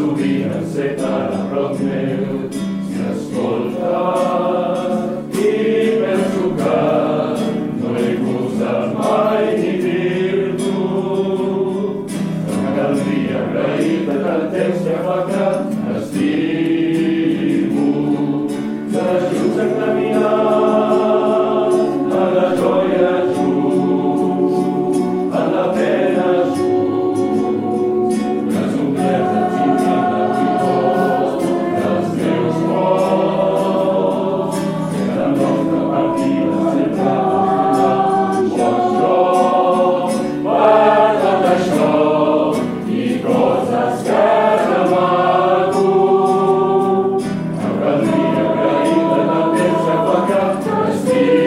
sovint enceta a prop meu, si escolta i penso que no he gostat mai ni dir-t'ho, que caldria agrair-te tant temps que fa que estimo, que junts hem caminat a la joia junts, a la pena junts, les ombretes infindes i tots dels meus morts, que la nostra partida sempre tornarà, per tot això i coses que demano, em caldria agrair-te tant temps que fa que t'estimo.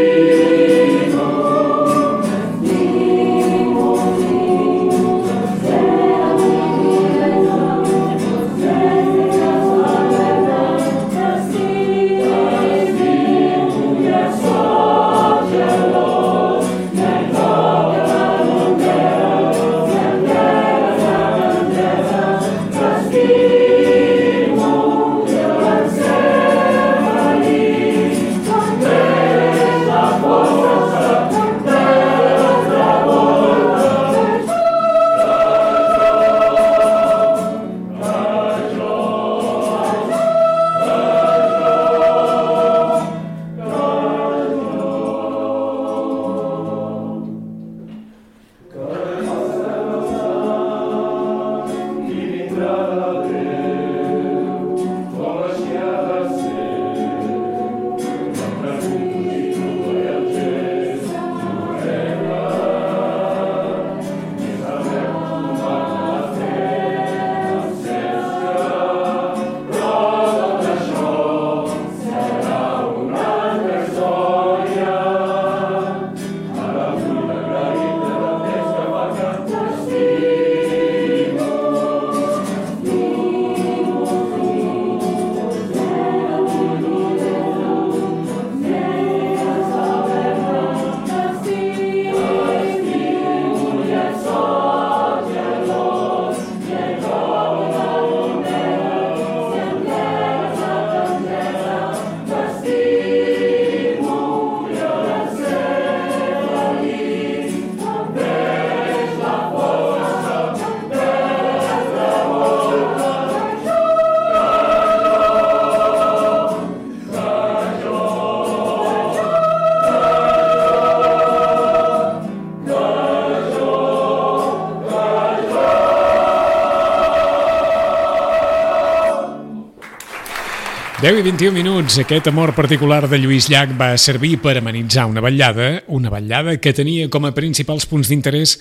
Deu i 21 minuts. Aquest amor particular de Lluís Llach va servir per amenitzar una vetllada que tenia com a principals punts d'interès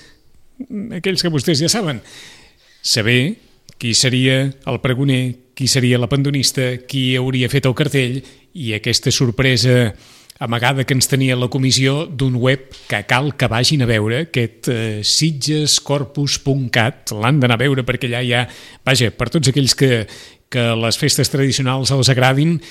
aquells que vostès ja saben. Saber qui seria el pregoner, qui seria la pandonista, qui hauria fet el cartell i aquesta sorpresa amagada que ens tenia la comissió d'un web que cal que vagin a veure, aquest sitgescorpus.cat. L'han d'anar a veure perquè allà hi ha, vaja, per tots aquells que les festes tradicionals els agradin,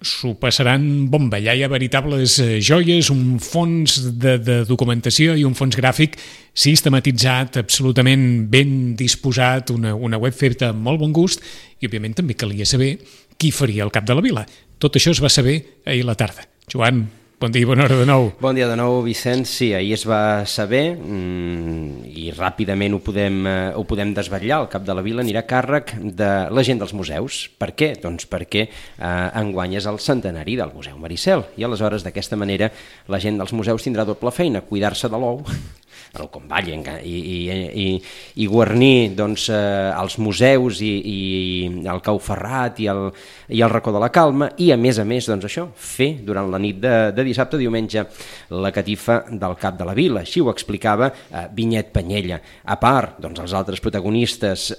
s'ho passaran bomba. Allà hi ha veritables joies, un fons de documentació i un fons gràfic sistematitzat, absolutament ben disposat, una web feta amb molt bon gust, i òbviament també calia saber qui faria el cap de la vila. Tot això es va saber ahir a la tarda. Joan, bon dia i bona hora de nou. Bon dia de nou, Vicenç. Sí, ahir es va saber i ràpidament ho podem desvetllar. El cap de la vila anirà a càrrec de la gent dels museus. Per què? Doncs perquè enguany és el centenari del Museu Maricel i aleshores d'aquesta manera la gent dels museus tindrà doble feina, cuidar-se de l'ou, el comball i guarnir doncs, els museus i el Cau Ferrat i el Racó de la Calma i a més doncs, això, fer durant la nit de dissabte a diumenge la catifa del cap de la vila. Així ho explicava Vinyet Panyella. A part, doncs, els altres protagonistes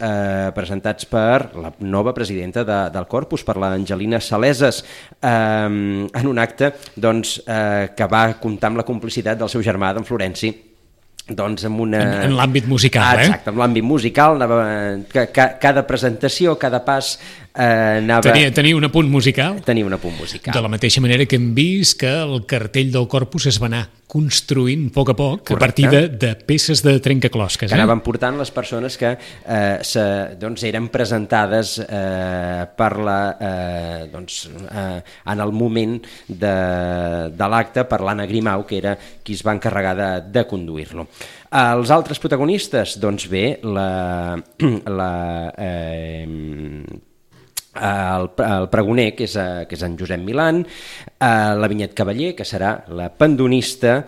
presentats per la nova presidenta del Corpus, per l'Angelina Saleses, en un acte doncs, que va comptar amb la complicitat del seu germà, d'en Florenci, doncs amb una... En l'àmbit musical, Exacte, en l'àmbit musical, cada presentació, cada pas Tenia un apunt musical? Tenia un apunt musical. De la mateixa manera que hem vist que el cartell del Corpus es va anar construint a poc, correcte, a partir de peces de trencaclosques. Que anaven portant les persones que eren presentades en el moment de l'acte per l'Anna Grimau, que era qui es va encarregar de conduir-lo. Els altres protagonistes, doncs bé, el pregoner, que és en Josep Milan, la Vinyet Cavaller, que serà la pandonista,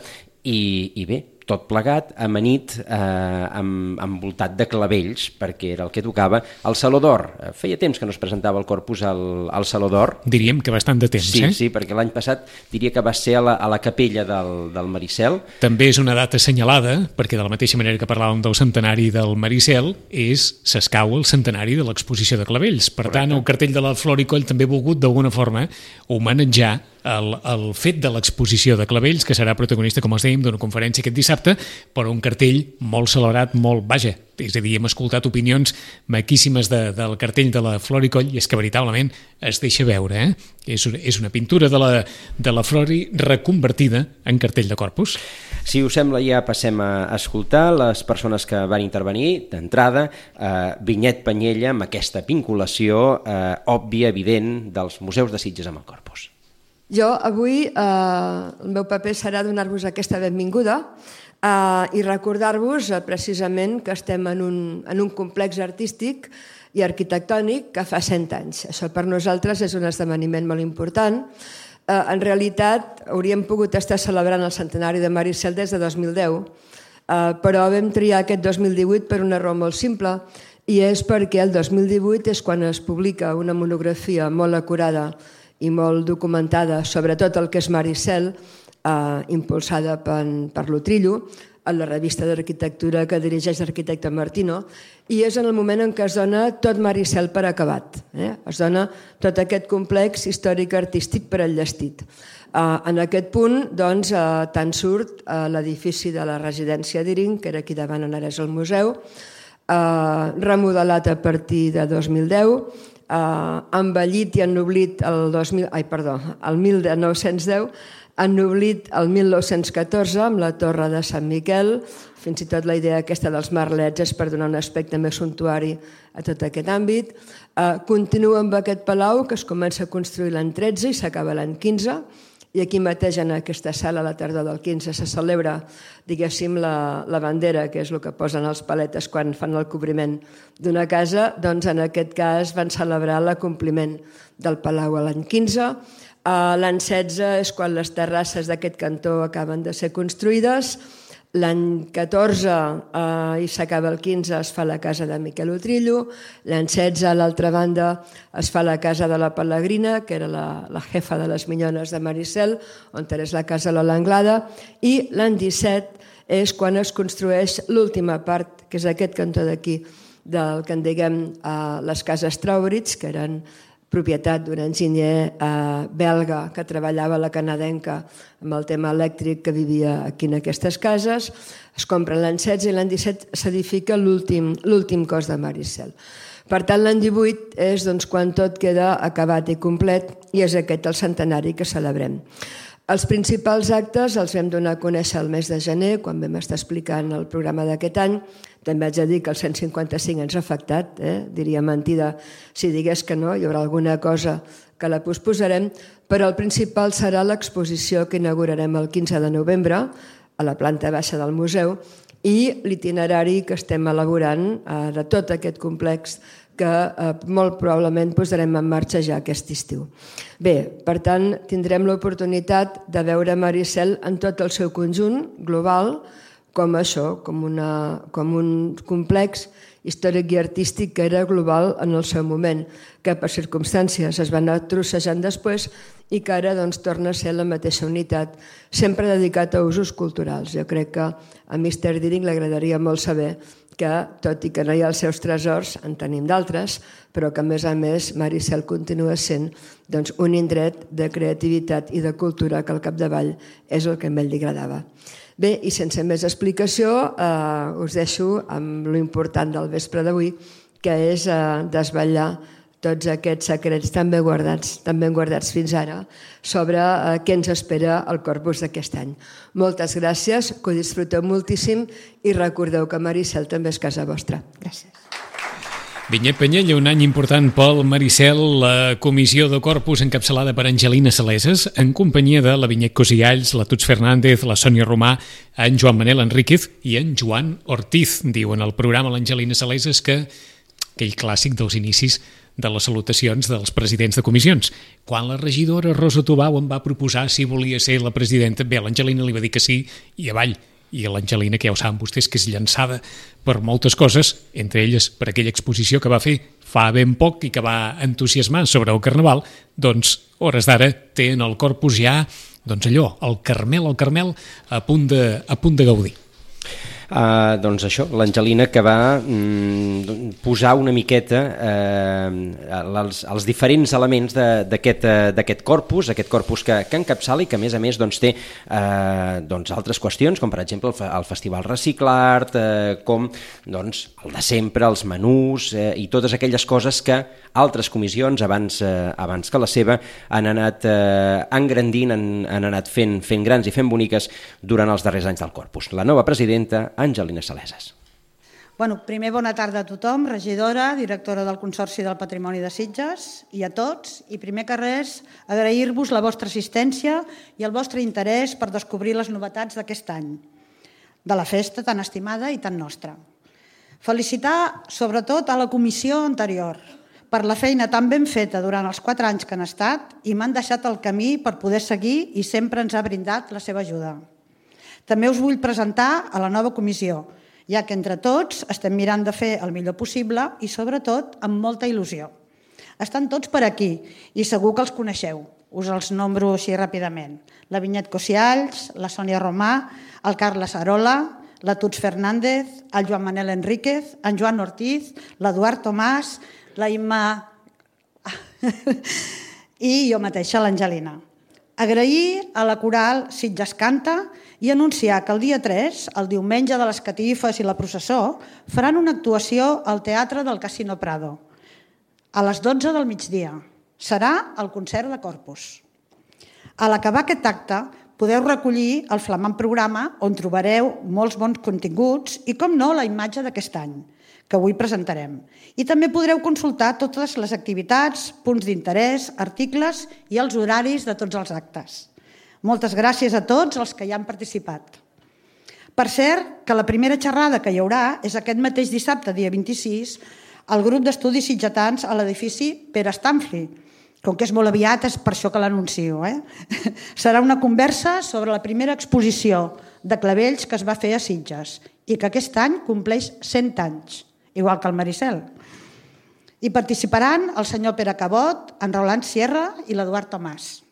i bé, tot plegat, amanit, envoltat de clavells, perquè era el que tocava al Saló d'Or. Feia temps que no es presentava el Corpus al Saló d'Or. Diríem que bastant de temps, Sí, perquè l'any passat diria que va ser a la capella del Maricel. També és una data assenyalada, perquè de la mateixa manera que parlàvem del centenari del Maricel, s'escau el centenari de l'exposició de clavells. Per tant, el cartell de la Flor i Coll també ha volgut, d'alguna forma, homenatjar el fet de l'exposició de clavells, que serà protagonista, com els dèiem, d'una conferència aquest dissabte, però un cartell molt celebrat, és a dir, hem escoltat opinions maquíssimes del cartell de la Flor i Coll, i és que veritablement es deixa veure, És una pintura de la Flori reconvertida en cartell de Corpus. Si us sembla, ja passem a escoltar les persones que van intervenir. D'entrada, Vinyet Panyella, amb aquesta vinculació òbvia, evident, dels museus de Sitges amb el Corpus. Jo avui el meu paper serà donar-vos aquesta benvinguda i recordar-vos precisament que estem en un complex artístic i arquitectònic que fa 100 anys. Això per nosaltres és un esdeveniment molt important. En realitat hauríem pogut estar celebrant el centenari de Maricel des de 2010, però vam triar aquest 2018 per una raó molt simple, i és perquè el 2018 és quan es publica una monografia molt acurada i molt documentada sobre tot el que és Maricel, impulsada per l'Utrillo, a la revista d'arquitectura que dirigeix l'arquitecte Martino, i és en el moment en què es dona tot Maricel per acabat. Es dona tot aquest complex històric-artístic per enllestit. En aquest punt, doncs, tant surt l'edifici de la residència d'Iring, que era aquí davant on ara és el museu, remodelat a partir de 2010, envellit i ennoblit el 1910, ennoblit el 1914 amb la Torre de Sant Miquel. Fins i tot la idea aquesta dels merlets és per donar un aspecte més suntuari a tot aquest àmbit. Continua amb aquest palau, que es comença a construir l'any 13 i s'acaba l'any 15, i aquí mateix en aquesta sala a la tardor del 15 se celebra, diguéssim, la bandera, que és el que posen els paletes quan fan el cobriment d'una casa. Doncs en aquest cas van celebrar l'acompliment del palau a l'any 15. L'any 16 és quan les terrasses d'aquest cantó acaben de ser construïdes. L'any 14 i s'acaba el 15 es fa la casa de Miquel Utrillo. L'any 16 a l'altra banda es fa la casa de la Pelegrina, que era la jefa de les minyones de Maricel, on és la casa Lola Anglada. I l'any 17 és quan es construeix l'última part, que és aquest cantó d'aquí, del que en diguem les cases Trauritz, que eren propietat d'un enginyer belga que treballava a la canadenca amb el tema elèctric, que vivia aquí en aquestes cases. Es compren l'any 16 i l'any 17 s'edifica l'últim cos de Maricel. Per tant, l'any 18 és quan tot queda acabat i complet, i és aquest el centenari que celebrem. Els principals actes els vam donar a conèixer el mes de gener, quan vam estar explicant el programa d'aquest any. També haig de dir que el 155 ens ha afectat, diria mentida si digués que no, hi haurà alguna cosa que la posposarem, però el principal serà l'exposició que inaugurarem el 15 de novembre a la planta baixa del museu, i l'itinerari que estem elaborant de tot aquest complex, que molt probablement posarem en marxa ja aquest estiu. Bé, per tant, tindrem l'oportunitat de veure Maricel en tot el seu conjunt global, com això, com un complex històric i artístic que era global en el seu moment, que per circumstàncies es va anar trossejant després i que ara torna a ser la mateixa unitat, sempre dedicat a usos culturals. Jo crec que a Mr. Deering li agradaria molt saber que, tot i que no hi ha els seus tresors, en tenim d'altres, però que a més Maricel continua sent un indret de creativitat i de cultura que al capdavall és el que a ell li agradava. Bé, i sense més explicació, us deixo amb lo important del vespre d'avui, que és desvetllar tots aquests secrets tan ben guardats fins ara sobre què ens espera el Corpus d'aquest any. Moltes gràcies, que ho disfruteu moltíssim i recordeu que Maricel també és casa vostra. Gràcies. Vinyet Penyella, un any important pel Maricel, la comissió de Corpus encapçalada per Angelina Saleses, en companyia de la Vinyet Cosialls, la Tuts Fernández, la Sònia Romà, en Joan Manel Enríquez i en Joan Ortiz. Diu en el programa l'Angelina Saleses que aquell clàssic dels inicis de les salutacions dels presidents de comissions. Quan la regidora Rosa Tubau em va proposar si volia ser la presidenta, bé, l'Angelina li va dir que sí i avall. I l'Angelina, que ja ho saben vostès, que és llançada per moltes coses, entre elles per aquella exposició que va fer fa ben poc i que va entusiasmar sobre el Carnaval, doncs, hores d'ara, té en el Corpus ja, doncs allò, el Carmel a punt de gaudir. Doncs això, l'Angelina que va posar una miqueta els diferents elements d'aquest corpus que encapçala i que a més doncs, té altres qüestions, com per exemple el Festival Reciclart, com doncs, el de sempre, els menús i totes aquelles coses que altres comissions abans que la seva han anat engrandint, han anat fent grans i fent boniques durant els darrers anys del corpus. La nova presidenta, Angelina Saleses. Primer, bona tarda a tothom, regidora, directora del Consorci del Patrimoni de Sitges i a tots. I primer que res, agrair-vos la vostra assistència i el vostre interès per descobrir les novetats d'aquest any, de la festa tan estimada i tan nostra. Felicitar, sobretot, a la comissió anterior per la feina tan ben feta durant els 4 anys que han estat i m'han deixat el camí per poder seguir i sempre ens ha brindat la seva ajuda. També us vull presentar a la nova comissió, ja que entre tots estem mirant de fer el millor possible i, sobretot, amb molta il·lusió. Estan tots per aquí i segur que els coneixeu. Us els nombro així ràpidament. La Vinyet Cosialls, la Sònia Romà, el Carles Arola, la Tuts Fernández, el Joan Manel Enríquez, en Joan Ortiz, l'Eduard Tomàs, la Imma i jo mateixa, l'Angelina. Agrair a la coral Sitges Canta i anunciar que el dia 3, el diumenge de les catifes i la processó, faran una actuació al Teatre del Casino Prado, a les 12 del migdia. Serà el concert de Corpus. A l'acabar aquest acte, podeu recollir el flamant programa on trobareu molts bons continguts i, com no, la imatge d'aquest any, que avui presentarem. I també podreu consultar totes les activitats, punts d'interès, articles i els horaris de tots els actes. Moltes gràcies a tots els que hi han participat. Per cert, que la primera xerrada que hi haurà és aquest mateix dissabte, dia 26, al grup d'estudis sitgetans a l'edifici Pere Stamfli. Com que és molt aviat, és per això que l'anuncio. Serà una conversa sobre la primera exposició de clavells que es va fer a Sitges i que aquest any compleix 100 anys, igual que el Maricel. Hi participaran el senyor Pere Cabot, en Roland Sierra i l'Eduard Tomàs.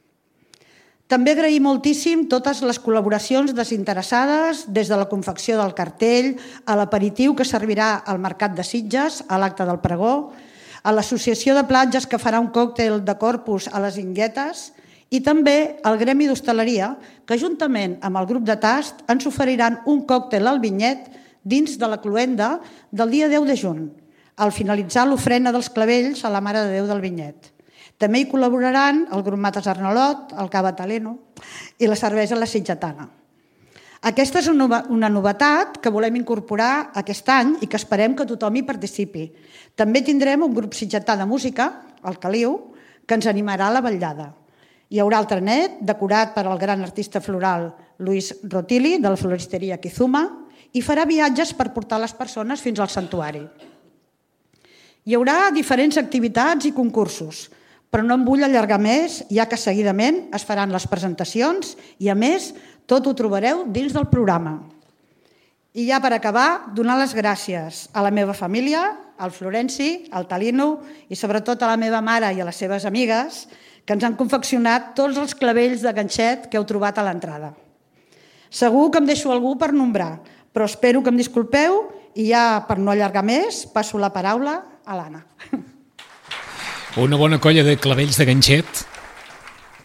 També agrair moltíssim totes les col·laboracions desinteressades, des de la confecció del cartell, a l'aperitiu que servirà al Mercat de Sitges, a l'acte del pregó, a l'Associació de Platges que farà un còctel de Corpus a les Inguetes i també al Gremi d'Hostaleria, que juntament amb el grup de Tast ens oferiran un còctel al Vinyet dins de la cloenda del dia 10 de juny, al finalitzar l'ofrena dels clavells a la Mare de Déu del Vinyet. També hi col·laboraran el grup Mates Arnolot, el Cava Taleno i la cervesa La Sitgetana. Aquesta és una novetat que volem incorporar aquest any i que esperem que tothom hi participi. També tindrem un grup sitgetà de música, el Caliu, que ens animarà a la vetllada. Hi haurà el trenet, decorat per al gran artista floral Luis Rotili, de la floristeria Kizuma, i farà viatges per portar les persones fins al santuari. Hi haurà diferents activitats i concursos, però no em vull allargar més, ja que seguidament es faran les presentacions i, a més, tot ho trobareu dins del programa. I ja per acabar, donar les gràcies a la meva família, al Florenci, al Talino i sobretot a la meva mare i a les seves amigues que ens han confeccionat tots els clavells de ganxet que heu trobat a l'entrada. Segur que em deixo algú per nombrar, però espero que em disculpeu i ja, per no allargar més, passo la paraula a l'Anna. Una bona colla de clavells de ganxet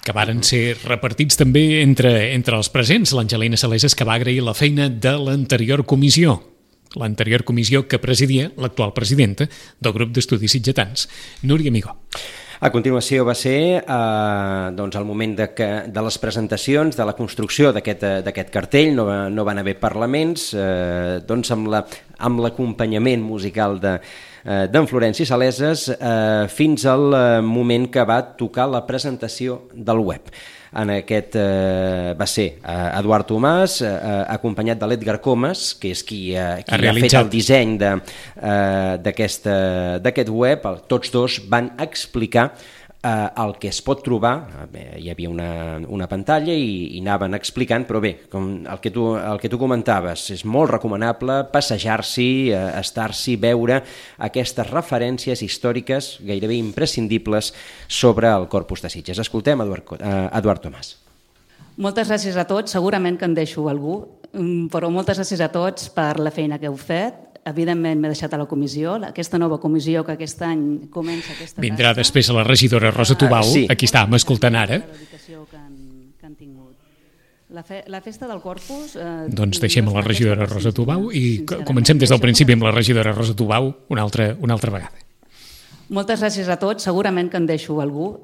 que varen ser repartits també entre els presents. L'Angelina Saleses, que va agrair la feina de l'anterior comissió. l'anterior comissió que presidia l'actual presidenta del grup d'estudis sitgetans, Núria Amigó. A continuació va ser el moment de les presentacions, de la construcció d'aquest cartell, no van haver parlaments, amb l'acompanyament musical d'en Florenci Saleses fins al moment que va tocar la presentació del web. En aquest va ser Eduard Tomàs, acompanyat de l'Edgar Comas, que és qui ha fet el disseny d'aquest web. Tots dos van explicar el que es pot trobar. Hi havia una pantalla i anaven explicant, però bé, el que tu comentaves, és molt recomanable passejar-s'hi, estar-s'hi, veure aquestes referències històriques gairebé imprescindibles sobre el Corpus de Sitges. Escoltem Eduard Tomàs. Moltes gràcies a tots, segurament que en deixo algú, però moltes gràcies a tots per la feina que heu fet. Evidentment m'he deixat a la comissió, aquesta nova comissió que aquest any comença aquesta tasca. Vindrà després a la regidora Rosa Tubau, aquí estàvem escoltant ara. La dedicació que han tingut. La festa del Corpus... Doncs deixem a la regidora Rosa Tubau i comencem des del principi amb la regidora Rosa Tubau una altra vegada. Moltes gràcies a tots, segurament que en deixo algú,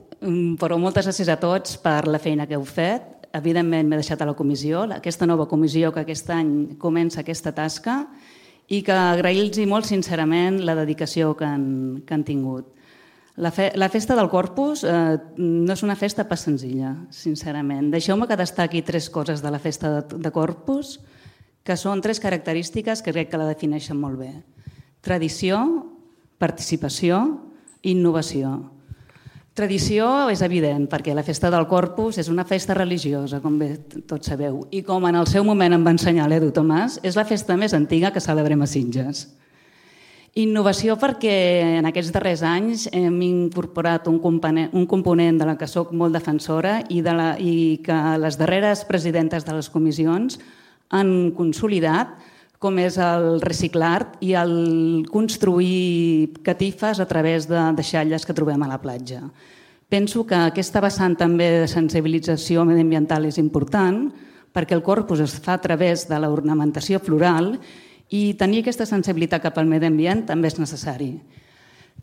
però moltes gràcies a tots per la feina que heu fet. Evidentment m'he deixat a la comissió, aquesta nova comissió que aquest any comença aquesta tasca, i que agrair-los molt sincerament la dedicació que han tingut. La festa del Corpus no és una festa pas senzilla, sincerament. Deixeu-me que destaqui 3 coses de la festa de Corpus, que són 3 característiques que crec que la defineixen molt bé. Tradició, participació i innovació. Tradició és evident, perquè la festa del Corpus és una festa religiosa, com bé tots sabeu, i com en el seu moment em va ensenyar l'Edu Tomàs, és la festa més antiga que celebrem a Sitges. Innovació perquè en aquests darrers anys hem incorporat un component de la que soc molt defensora i que les darreres presidentes de les comissions han consolidat, com és el reciclar i el construir catifes a través de deixalles que trobem a la platja. Penso que aquesta vessant també de sensibilització mediambiental és important perquè el Corpus es fa a través de l'ornamentació floral i tenir aquesta sensibilitat cap al medi ambient també és necessari.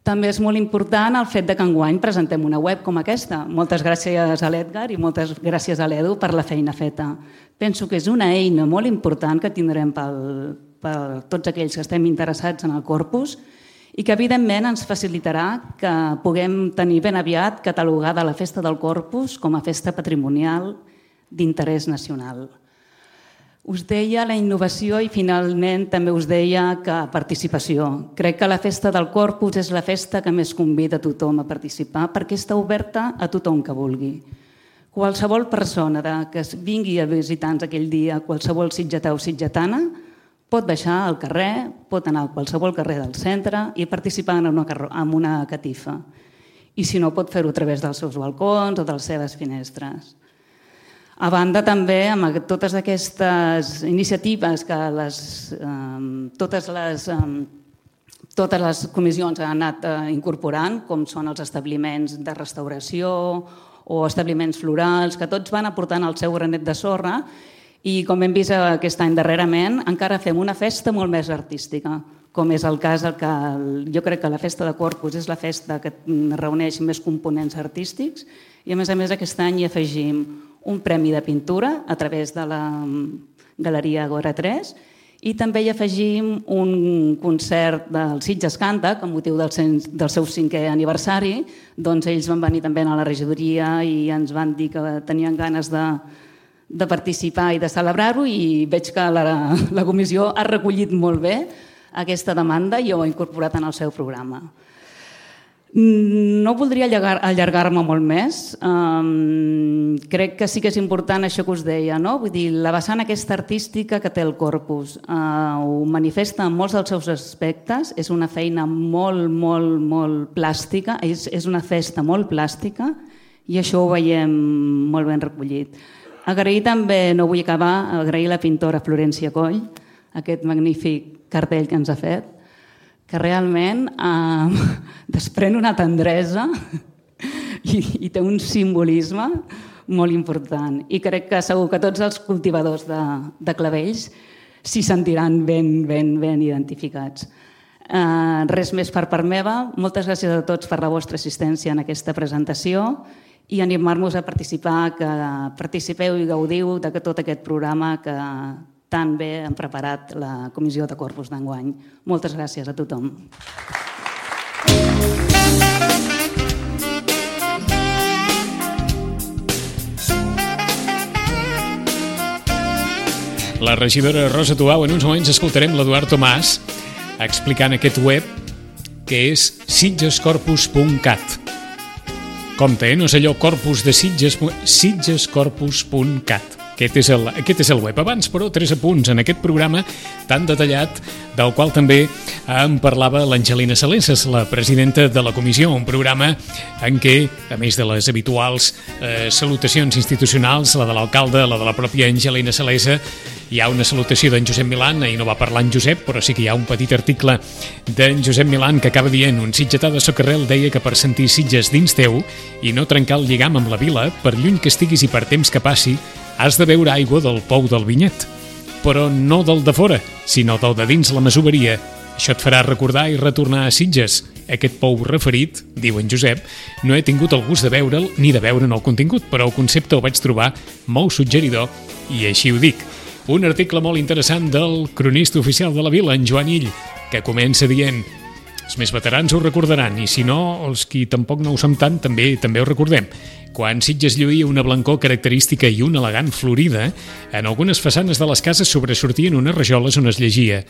També és molt important el fet que enguany presentem una web com aquesta. Moltes gràcies a l'Edgar i moltes gràcies a l'Edu per la feina feta. Penso que és una eina molt important que tindrem per tots aquells que estem interessats en el Corpus i que evidentment ens facilitarà que puguem tenir ben aviat catalogada la festa del Corpus com a festa patrimonial d'interès nacional. Us deia la innovació i finalment també us deia que participació. Crec que la festa del Corpus és la festa que més convida a tothom a participar perquè està oberta a tothom que vulgui. Qualsevol persona que vingui a visitar-nos aquell dia, qualsevol sitgetà o sitgetana, pot baixar al carrer, pot anar a qualsevol carrer del centre i participar en una catifa. I si no, pot fer-ho a través dels seus balcons o de les seves finestres. A banda també amb totes aquestes iniciatives que totes les comissions han anat incorporant, com són els establiments de restauració o establiments florals, que tots van aportant el seu granet de sorra i com hem vist aquest any darrerament encara fem una festa molt més artística, com és el cas que jo crec que la festa de Corpus és la festa que reuneix més components artístics i a més aquest any hi afegim un premi de pintura a través de la Galeria Agora 3 i també hi afegim un concert del Sitges Canta, que amb motiu del seu 5è aniversari, doncs ells van venir també a la regidoria i ens van dir que tenien ganes de participar i de celebrar-ho i veig que la comissió ha recollit molt bé aquesta demanda i ho ha incorporat en el seu programa. No voldria allargar-me molt més. Crec que sí que és important això que us deia, no? Vull dir, la vessant aquesta artística que té el Corpus ho manifesta en molts dels seus aspectes. És una feina molt, molt, molt plàstica, és una festa molt plàstica i això ho veiem molt ben recollit. Agrair també, no vull acabar, agrair la pintora Florència Coll, aquest magnífic cartell que ens ha fet, que realment desprèn una tendresa i té un simbolisme molt important. I crec que segur que tots els cultivadors de clavells s'hi sentiran ben identificats. Res més per part meva. Moltes gràcies a tots per la vostra assistència en aquesta presentació i animar-vos a participar, que participeu i gaudiu de tot aquest programa que tan bé han preparat la Comissió de Corpus d'enguany. Moltes gràcies a tothom. La regidora Rosa Tubau, en uns moments escoltarem l'Eduard Tomàs explicant aquest web que és sitgescorpus.cat. Compte, no és allò corpus de Sitges, sitgescorpus.cat. Aquest és el web. Abans, però, 3 apunts en aquest programa tan detallat, del qual també en parlava l'Angelina Saleses, la presidenta de la comissió, un programa en què, a més de les habituals salutacions institucionals, la de l'alcalde, la de la pròpia Angelina Salesa, hi ha una salutació d'en Josep Milán, ahir no va parlar en Josep, però sí que hi ha un petit article d'en Josep Milán que acaba dient: un sitgetà de Socarrel deia que per sentir Sitges dins teu i no trencar el lligam amb la vila, per lluny que estiguis i per temps que passi, has de beure aigua del pou del vinyet. Però no del de fora, sinó del de dins la masoveria. Això et farà recordar i retornar a Sitges. Aquest pou referit, diu en Josep, no he tingut el gust de veure'l ni de veure'n el contingut, però el concepte el vaig trobar molt suggeridor i així ho dic. Un article molt interessant del cronista oficial de la vila, en Joan Ill, que comença dient: els més veterans ho recordaran, i si no, els qui tampoc no ho som tant, també ho recordem. Quan Sitges lluïa una blancor característica i una elegant florida, en algunes façanes de les cases sobresortien unes rajoles on es llegia: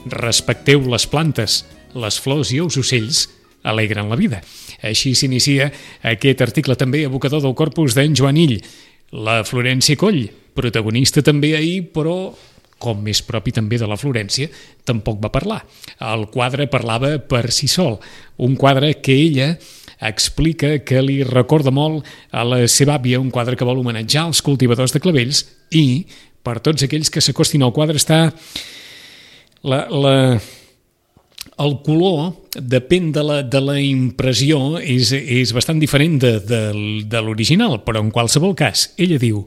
respecteu les plantes, les flors i els ocells alegren la vida. Així s'inicia aquest article també evocador del corpus d'en Joan Ill. La Florència Coll, protagonista també ahir, però com més propi també de la Florència, tampoc va parlar. El quadre parlava per si sol, un quadre que ella explica que li recorda molt a la seva àvia, un quadre que vol homenatjar els cultivadors de clavells, i per tots aquells que s'acostin al quadre està el color, depèn de la impressió, és bastant diferent de l'original, però en qualsevol cas, ella diu: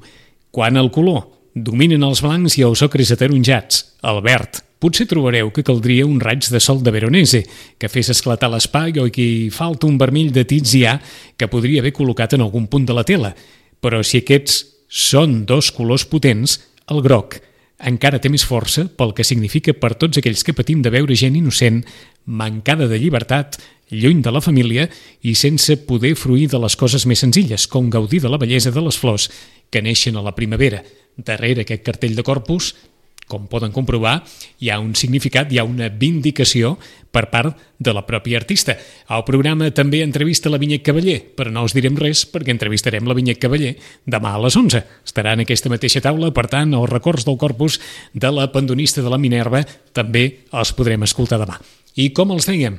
quan el color dominen els blancs i els ocres ataronjats, el verd, potser trobareu que caldria un raig de sol de Veronese, que fes esclatar l'espai, o que hi falta un vermell de Tizià que podria haver col·locat en algun punt de la tela. Però si aquests són dos colors potents, el groc encara té més força pel que significa per tots aquells que patim de veure gent innocent, mancada de llibertat, lluny de la família i sense poder fruir de les coses més senzilles, com gaudir de la bellesa de les flors que neixen a la primavera. Darrere aquest cartell de Corpus, com poden comprovar, hi ha un significat, hi ha una vindicació per part de la pròpia artista. El programa també entrevista la Vinyet Cavaller, però no us direm res perquè entrevistarem la Vinyet Cavaller demà a les 11. Estarà en aquesta mateixa taula, per tant, els records del Corpus de la pandonista de la Minerva també els podrem escoltar demà. I com els dèiem?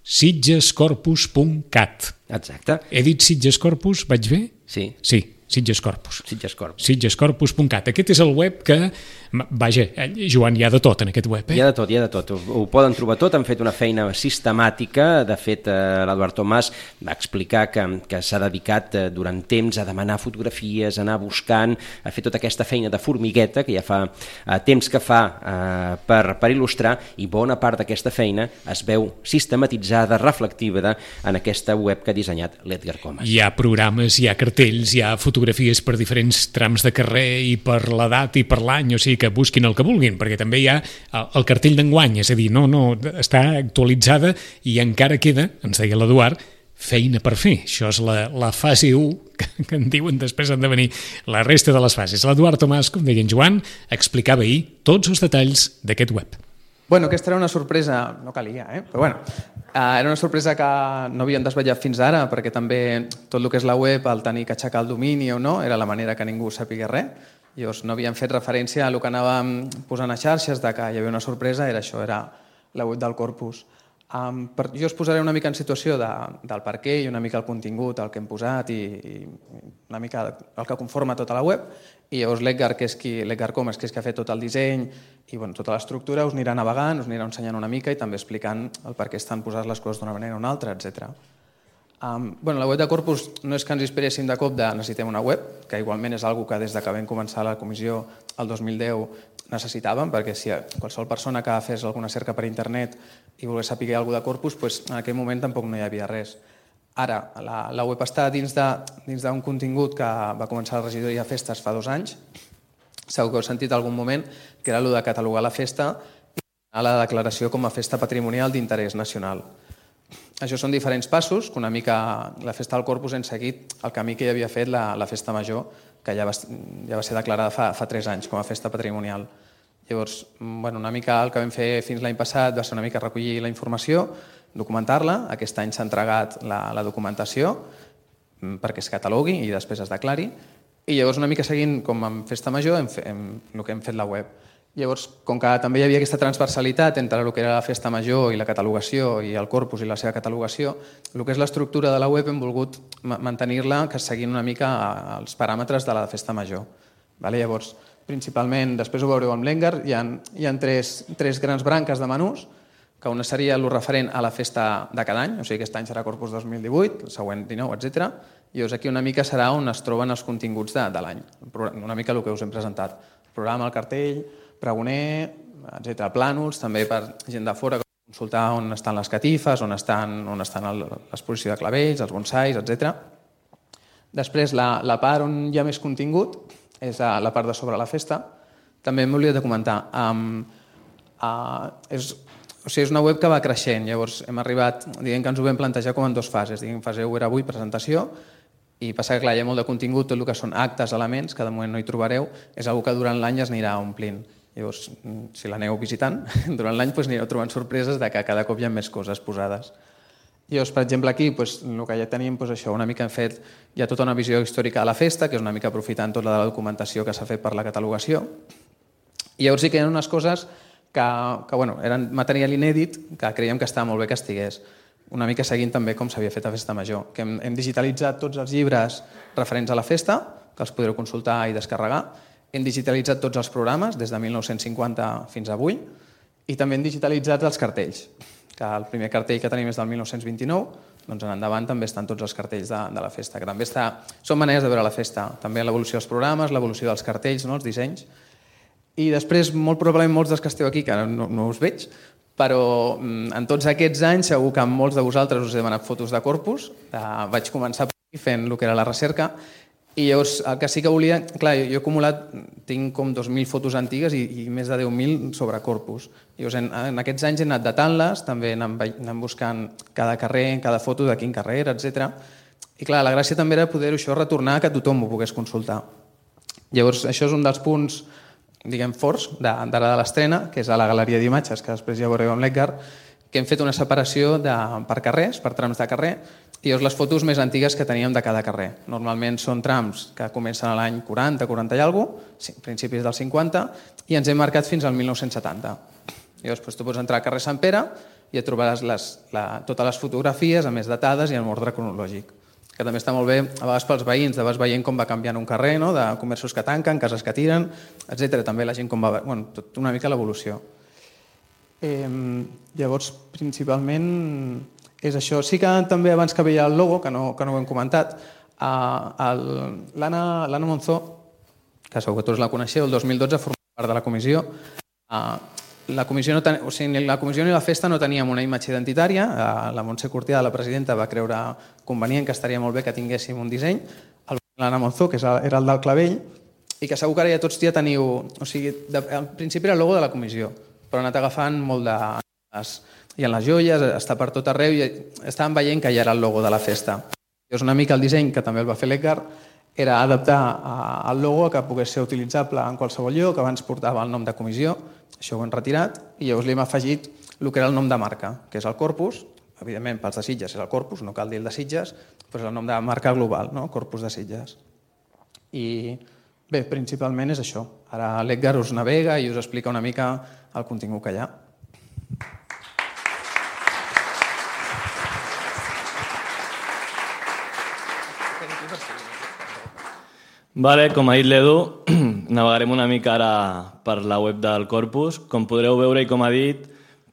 sitgescorpus.cat. Exacte. He dit Sitges Corpus, vaig bé? Sí. Sí. Sitges Corpus. Sitgescorpus.cat. Aquest és el web que... Vaja, Joan, hi ha de tot en aquest web, Hi ha de tot. Ho poden trobar tot. Han fet una feina sistemàtica. De fet, l'Eduard Tomàs va explicar que s'ha dedicat durant temps a demanar fotografies, a anar buscant, a fer tota aquesta feina de formigueta que ja fa temps que fa per il·lustrar, i bona part d'aquesta feina es veu sistematitzada, reflectiva en aquesta web que ha dissenyat l'Edgar Comas. Hi ha programes, hi ha cartells, hi ha fotografies per diferents trams de carrer i per l'edat i per l'any, o sigui que busquin el que vulguin, perquè també hi ha el cartell d'enguany, és a dir, no, està actualitzada i encara queda, ens deia l'Eduard, feina per fer. Això és la fase 1, que en diuen després han de venir la resta de les fases. L'Eduard Tomàs, com deia en Joan, explicava ahir tots els detalls d'aquest web. Bueno, aquesta era una sorpresa, no calia, però bueno, era una sorpresa que no havíem desvetllat fins ara, perquè també tot el que és la web, el tenir que aixecar el domini o no, era la manera que ningú sàpiga res. Llavors no havíem fet referència a el que anàvem posant a xarxes, de que hi havia una sorpresa, era això, era la web del Corpus. Jo us posaré una mica en situació del per què i una mica el contingut, el que hem posat i una mica el que conforma tota la web, i llavors l'Edgar Comas, que és qui ha fet tot el disseny i tota l'estructura, us anirà navegant, us anirà ensenyant una mica i també explicant el per què estan posades les coses d'una manera o una altra, etc. La web de Corpus no és que ens inspiréssim de cop de necessitem una web, que igualment és una que des que vam començar la comissió el 2010 necessitàvem, perquè si qualsevol persona que fes alguna cerca per internet i volgués saber alguna cosa de Corpus, doncs en aquell moment tampoc no hi havia res. Ara, la web està dins d'un contingut que va començar la regidoria de festes fa 2 anys. Segur que heu sentit algun moment que era el de catalogar la festa i donar la declaració com a festa patrimonial d'interès nacional. Això són diferents passos, que una mica la festa del Corpus hem seguit el camí que ja havia fet la festa major, que ja va ser declarada fa 3 anys com a festa patrimonial. Llavors, una mica el que vam fer fins l'any passat va ser una mica recollir la informació, documentar-la. Aquest any s'ha entregat la documentació perquè es catalogui i després es declari. I llavors, una mica seguint com en festa major, el que hem fet la web. Llavors, com que també hi havia aquesta transversalitat entre el que era la festa major i la catalogació i el Corpus i la seva catalogació, el que és l'estructura de la web hem volgut mantenir-la que seguint una mica els paràmetres de la festa major. Llavors, principalment, després ho veureu amb l'Engar, hi ha 3 grans branques de menús, que una seria el referent a la festa de cada any, o sigui, aquest any serà Corpus 2018, el següent 19, etc. I llavors aquí una mica serà on es troben els continguts de l'any, una mica el que us hem presentat. El programa, el cartell, pregoner, etc. Plànols, també per gent de fora, consultar on estan les catifes, on estan l'exposició de clavells, els bonsais, etc. Després, la part on hi ha més contingut és la part de sobre la festa. També m'he oblidat de comentar. És una web que va creixent, llavors hem arribat, diguem que ens ho vam plantejar com en 2 fases. Fase 1 era avui, presentació, i passa que clar, hi ha molt de contingut, tot el que són actes, elements, que de moment no hi trobareu, és una que durant l'any es anirà omplint. Llavors, si l'aneu visitant, durant l'any anireu trobant sorpreses de que cada cop hi ha més coses posades. Llavors, per exemple, aquí, el que ja tenim, això, una mica hem fet, hi ha tota una visió històrica de la festa, que és una mica aprofitant tota la documentació que s'ha fet per la catalogació. I llavors sí que hi ha unes coses que eren material inèdit, que creiem que estava molt bé que estigués. Una mica seguint també com s'havia fet a Festa Major, que hem digitalitzat tots els llibres referents a la festa, que els podreu consultar i descarregar. Hem digitalitzat tots els programes, des de 1950 fins avui, i també hem digitalitzat els cartells, que el primer cartell que tenim és del 1929, doncs en endavant també estan tots els cartells de la festa, que també són maneres de veure la festa, també l'evolució dels programes, l'evolució dels cartells, els dissenys. I després, molt probablement, molts dels que esteu aquí, que no us veig, però en tots aquests anys segur que molts de vosaltres us he demanat fotos de Corpus. Vaig començar fent el que era la recerca i llavors el que sí que volia... Clar, jo he acumulat, tinc com 2.000 fotos antigues i més de 10.000 sobre Corpus. Llavors en aquests anys he anat datant-les, també anant buscant cada carrer, cada foto de quin carrer era, etc. I clar, la gràcia també era poder això retornar que tothom ho pogués consultar. Llavors això és un dels punts diguem forts d'ara de l'estrena, que és a la galeria d'imatges, que després ja veureu amb l'Edgar, que hem fet una separació per carrers, per trams de carrer, i llavors les fotos més antigues que teníem de cada carrer. Normalment són trams que comencen a l'any 40, 40 i alguna cosa, principis del 50, i ens hem marcat fins al 1970. Llavors tu pots entrar al carrer Sant Pere i et trobaràs totes les fotografies, a més datades i en ordre cronològic, que també està molt bé, a vegades pels veïns, de vegades veient com va canviant un carrer, de comerços que tanquen, cases que tiren, etc. També la gent com va... tot una mica l'evolució. Llavors, principalment, és això. Sí que també abans que veia el logo, que no ho hem comentat, l'Anna Monzó, que segur que tots la coneixeu, el 2012 formava part de la comissió. La comissió ni la festa no teníem una imatge identitària. La Montse Cortià, la presidenta, va creure convenient que estaria molt bé que tinguéssim un disseny. L'Anna Monzó, que era el del clavell, i que segur que ara ja tots ja teniu... O sigui, al principi era el logo de la comissió, però ha anat agafant molt de... I en les joies, està per tot arreu, i estàvem veient que ja era el logo de la festa. Llavors una mica el disseny, que també el va fer l'Edgar, era adaptar el logo que pogués ser utilitzable en qualsevol lloc, que abans portava el nom de comissió, això ho hem retirat, i llavors li hem afegit el que era el nom de marca, que és el Corpus, evidentment pels de Sitges és el Corpus, no cal dir el de Sitges, però és el nom de marca global, Corpus de Sitges. I bé, principalment és això. Ara l'Edgar us navega i us explica una mica el contingut que hi ha. Vale, com ha dit l'Edu, navegarem una mica ara per la web del Corpus. Com podreu veure i com ha dit,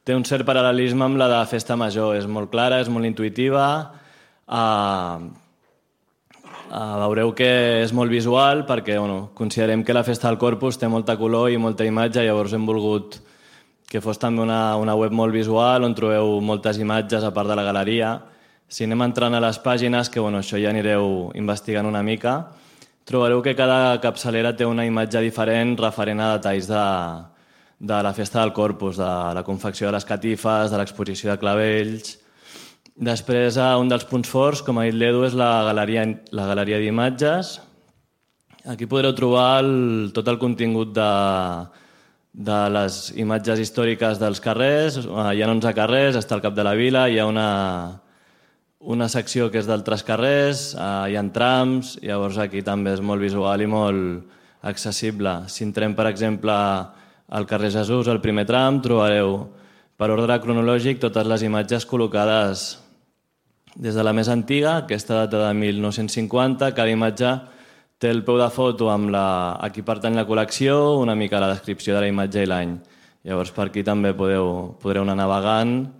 té un cert paral·lelisme amb la de Festa Major. És molt clara, és molt intuïtiva. Veureu que és molt visual perquè considerem que la Festa del Corpus té molta color i molta imatge, llavors hem volgut que fos també una web molt visual on trobeu moltes imatges a part de la galeria. Si anem entrant a les pàgines, que això ja anireu investigant una mica, trobareu que cada capçalera té una imatge diferent referent a detalls de la Festa del Corpus, de la confecció de les catifes, de l'exposició de clavells. Després, un dels punts forts, com ha dit l'Edu, és la galeria d'imatges. Aquí podreu trobar tot el contingut de les imatges històriques dels carrers. Hi ha 11 carrers, està al cap de la vila, hi ha una secció que és d'altres carrers, hi ha trams, llavors aquí també és molt visual i molt accessible. Si entrem, per exemple, al carrer Jesús, al primer tram, trobareu per ordre cronològic totes les imatges col·locades des de la més antiga, aquesta data de 1950, cada imatge té el peu de foto amb a qui pertany la col·lecció, una mica la descripció de la imatge i l'any. Llavors per aquí també podreu anar navegant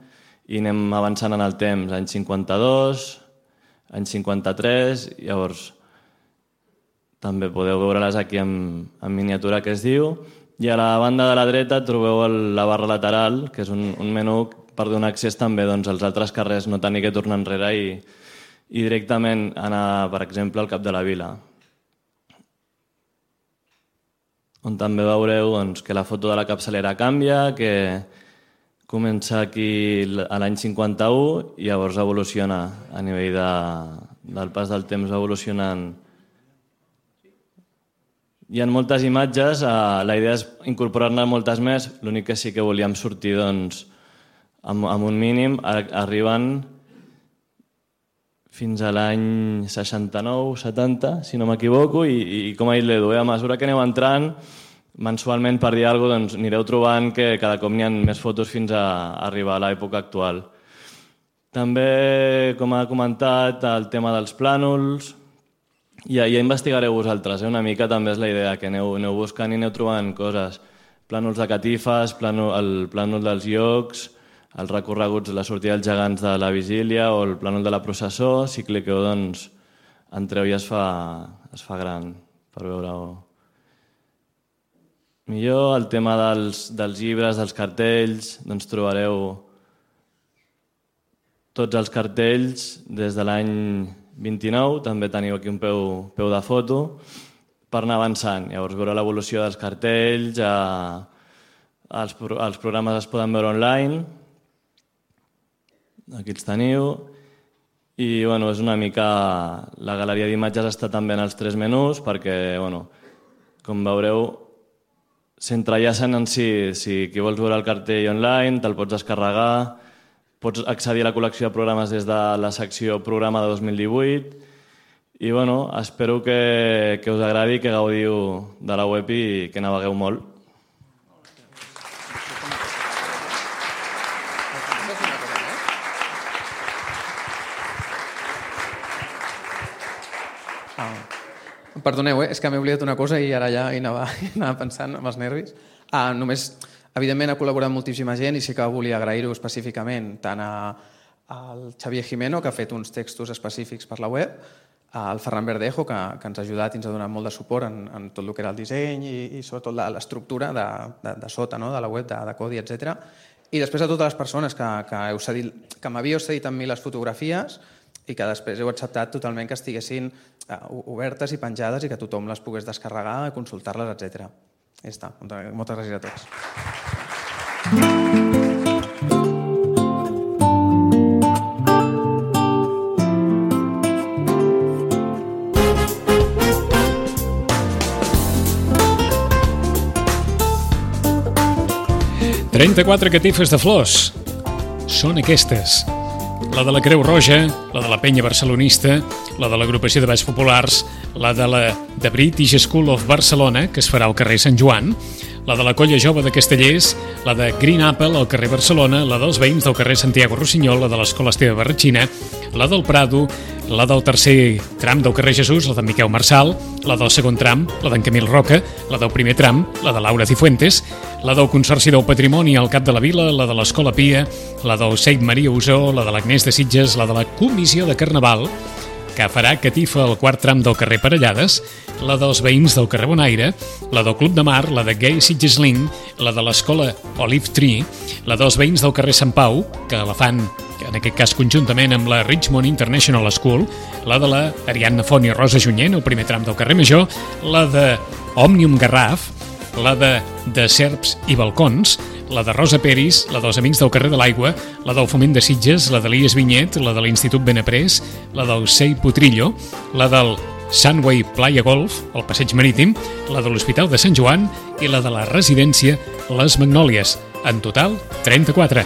i anem avançant en el temps, any 52, any 53, llavors també podeu veure-les aquí en miniatura que es diu. I a la banda de la dreta trobeu la barra lateral, que és un menú per donar accés també als altres carrers, no tenir que tornar enrere i directament anar, per exemple, al cap de la vila. On també veureu que la foto de la capçalera canvia, que comença aquí a l'any 51 i llavors evoluciona a nivell del pas del temps evolucionant. Hi ha moltes imatges, la idea és incorporar-ne moltes més, l'únic que sí que volíem sortir amb un mínim, arriben fins a l'any 69-70, si no m'equivoco, i com ha dit l'Edu, a mesura que aneu entrant, mensualment, per dir alguna cosa, anireu trobant que cada cop n'hi ha més fotos fins a arribar a l'època actual. També, com ha comentat, el tema dels plànols, ja investigareu vosaltres, una mica també és la idea, que aneu buscant i aneu trobant coses. Plànols de catifes, el plànol dels llocs, els recorreguts de la sortida dels gegants de la vigília o el plànol de la processó. Si cliqueu, entreu i es fa gran per veure-ho millor. El tema dels llibres, dels cartells, trobareu tots els cartells des de l'any 29, també teniu aquí un peu de foto, per anar avançant. Llavors veure l'evolució dels cartells, els programes es poden veure online, aquí els teniu, i és una mica... La galeria d'imatges està també en els 3 menús perquè, com veureu, s'entrellacen en si qui vols veure el cartell online, te'l pots descarregar, pots accedir a la col·lecció de programes des de la secció programa de 2018 i espero que us agradi, que gaudiu de la web i que navegueu molt. Perdoneu, és que m'he oblidat una cosa i ara ja hi anava pensant amb els nervis. Només, evidentment, ha col·laborat moltíssima gent i sí que volia agrair-ho específicament tant al Xavier Jimeno, que ha fet uns textos específics per la web, al Ferran Verdejo, que ens ha ajudat i ens ha donat molt de suport en tot el que era el disseny i sobretot l'estructura de sota, de la web, de codi, etc. I després a totes les persones que m'havíeu cedit amb mi les fotografies i que després heu acceptat totalment que estiguessin obertes i penjades i que tothom les pogués descarregar, consultar-les, etc. Ja està. Moltes gràcies a tots. 34 catifes de flors. Són aquestes. La de la Creu Roja, la de la Penya Barcelonista, la de l'Agrupació de Balls Populars, la de la The British School of Barcelona, que es farà al carrer Sant Joan, la de la Colla Jove de Castellers, la de Green Apple al carrer Barcelona, la dels veïns del carrer Santiago Rossinyol, la de l'Escola Esteve Barratxina, la del Prado, la del tercer tram del carrer Jesús, la de Miquel Marçal, la del segon tram, la d'en Camil Roca, la del primer tram, la de Laura Cifuentes, la del Consorci del Patrimoni al Cap de la Vila, la de l'Escola Pia, la del Seit Maria Usó, la de l'Agnès de Sitges, la de la Comissió de Carnaval, que farà catifa al quart tram del carrer Parellades, la dels veïns del carrer Bonaire, la del Club de Mar, la de Gay Sitges Link, la de l'escola Olive Tree, la dels veïns del carrer Sant Pau, que la fan en aquest cas conjuntament amb la Richmond International School, la de la Ariadna Font i Rosa Junyent, el primer tram del carrer Major, la de Òmnium Garraf, la de Serps i Balcons, la de Rosa Peris, la dels Amics del carrer de l'Aigua, la del Foment de Sitges, la de l'Ies Vinyet, la de l'Institut Benaprés, la del Sei Potrillo, la del Sunway Playa Golf, el Passeig Marítim, la de l'Hospital de Sant Joan i la de la residència Les Magnòlies. En total, 34.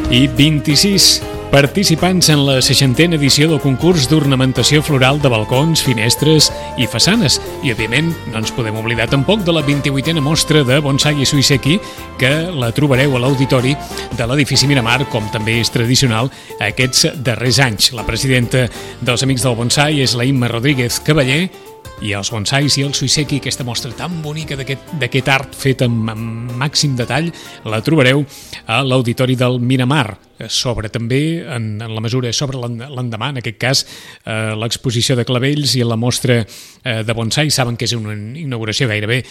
I 26 participants en la 60a edició del concurs d'ornamentació floral de balcons, finestres i façanes. I, òbviament, no ens podem oblidar tampoc de la 28a mostra de bonsai i suiseki, que la trobareu a l'auditori de l'edifici Miramar, com també és tradicional aquests darrers anys. La presidenta dels Amics del Bonsai és la Imma Rodríguez Cavaller, i els bonsais i el suiseki, aquesta mostra tan bonica d'aquest art fet amb màxim detall, la trobareu a l'auditori del Miramar. Sobre també, en la mesura, sobre l'endemà, en aquest cas, l'exposició de clavells i la mostra de bonsai. Saben que és una inauguració gairebé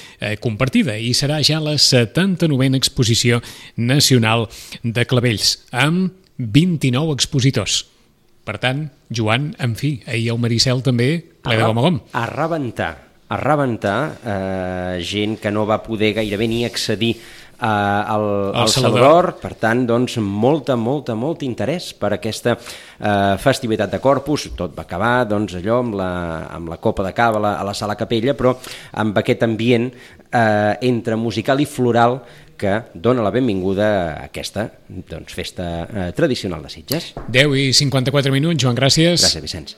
compartida i serà ja la 79a exposició nacional de clavells, amb 29 expositors. Per tant, Joan, en fi, ahir el Maricel també ple de gom a gom. A rebentar, gent que no va poder gairebé ni accedir al Salvador. Per tant, doncs, molt interès per aquesta festivitat de Corpus. Tot va acabar, doncs, allò amb la copa de cava a la Sala Capella, però amb aquest ambient entre musical i floral que dona la benvinguda a aquesta festa tradicional de Sitges. 10:54, Joan, gràcies. Gràcies, Vicenç.